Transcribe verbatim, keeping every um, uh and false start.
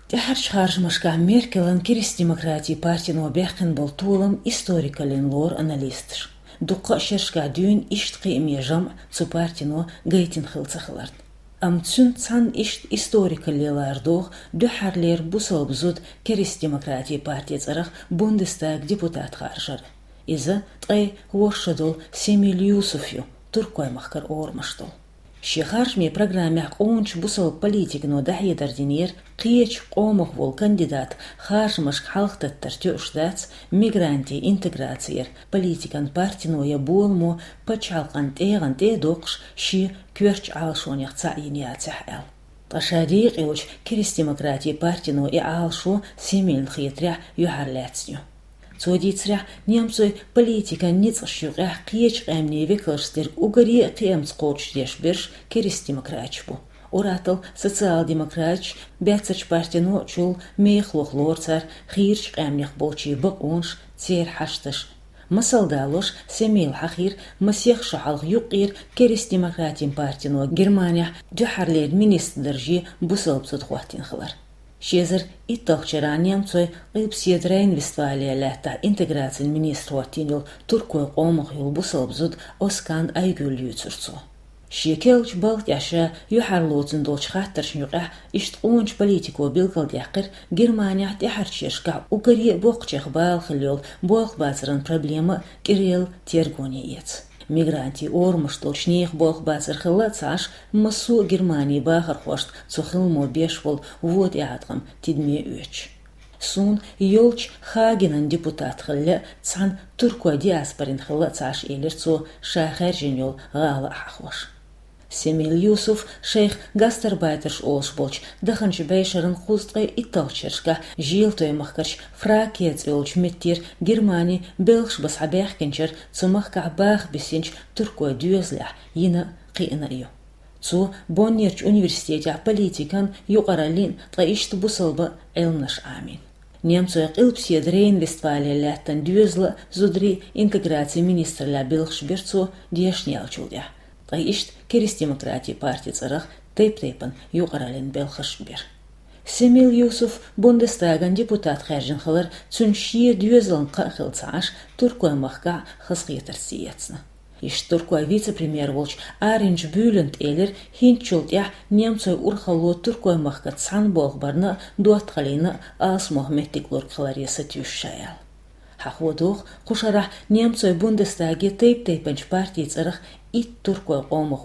ТӀаьхьарчу харжамашкахь Меркелан Керста-демократийн партино баьккхина болу толам историкаллин лору аналисташа. Дуккха а шерашкахь дуьйна иштта кхиаме жамӀ цу партино гайтина хилла ца хиларна. Амма цуьнца цхьаьна иштта историкалле лара догӀу дуьххьарлера бусалба зуда Керста-демократийн партин цӀарах Бундестаган депутат харжар. Иза ткъе ворхӀ шо долу Семил Юсуф ю, Туркойн махкара орамаш долу. Шен харжамийн программехь къоначу бусалба политикано дӀахьедар динера кхечу къомах волу кандидат харжамашка хьалхататтар тоьуш дац, мигрантийн интеграцера политикан партино я боламо пачхьалкхан тӀегӀан тӀе а доккхуш, шен коьртачу Ӏалашонех цхьаъ йина яцахь аьлла. Ткъа ша декъа йолчу Керста-демократийн партино и Ӏалашо Семилна хетарехь юьхьарлаьцна ю. Цо дийцарехь, немцойн политикан ницкъаш юкъехь кхечу къаьмнийн векалшца дерг уггаре а кхиамца кхочушдеш берш керста-демократаш бу. Ур-атталла социал-демократаш, баьццарчу партино чул мехаллах лору цара хийрачу къаьмнех болчийн бакъонаш, церан хьашташ. Масал далош, Семила хьахийра масех шо хьалха юккъера Керста-демократийн партино Германехь дуьххьарлера министран дарже бусалба зуда хӀоттийна хилар. Ши эзар итталгӀачу шарахь немцойн Къилбаседа Рейн-Вестфале лаьттахь интеграцин министр хӀоттийна йолу туркойн къомах йолу бусалба зуда Оскан Айгюл юьйцура цо. Шен керлачу балха тӀехь ша юьхьарлоцун долчу хаттаршна юкъехь иштта къоначу политико билгалдаьккхира Германехь тӀаьхьарчу шерашкахь уггаре а боккхачех бала хилла йолу болх бацаран проблема кӀирелла тергоне эца. Мигрантийн орамаш долчу нехан болх бацар хилла а ца Ӏаш, массо а Германин бахархошна цу хиламо беш болу вон тӀеӀаткъам тидаме оьцуш. Суна йолчу Хагенан депутат хила лаьа цхьана туркойн диаспорин хила а ца Ӏаш, элира цо, ша хаьржина йолу гӀала а хьахош. Семил Юсуф шайх гастарбайтерш олуш болчу даханчу бӀешеран кхузткъе итталгӀачу шерашкахь Желтойн махкарчу Фракия цӀе йолчу меттера Германи белхаш бан схьабаьхкинчара цу махкахь баха бисинчу туркойн доьзалехь йина а, кхиъна а ю. Цо Боннерчу университетехь политикан, юкъараллин, ткъа иштта бусалба Ӏилманаш Ӏамийна. Немцойн Къилбаседа Рейн-Вестфале лаьттан доьзалан а, зударийн а интеграцин министраллехь белхаш бира цо дешна яьллачул тӀаьхьа. Ткъа иштта Керста-демократийн партин цӀарах тайп-тайпана юкъараллин белхаш бира. Семил Юсуф Бундестаган депутат хаьржина хилар цуьнан шен доьзална кхаъ хилла ца Ӏаш, туркойн махкахь хазахетарца эцна. Иштта туркойн вице-премьер волчу Аринч Бюлента элира, хӀинцачул тӀаьхьа немцойн урхалло туркойн махкаца цхьаьна болх барна а, доттагӀаллина а алсамох меттиг лург хиларе сатуьйсуш ша аьлла. Хьахо догӀу, кху шарахь немцойн Бундестаге тайп-тайпанчу партийн цӀарах итт туркойн къомах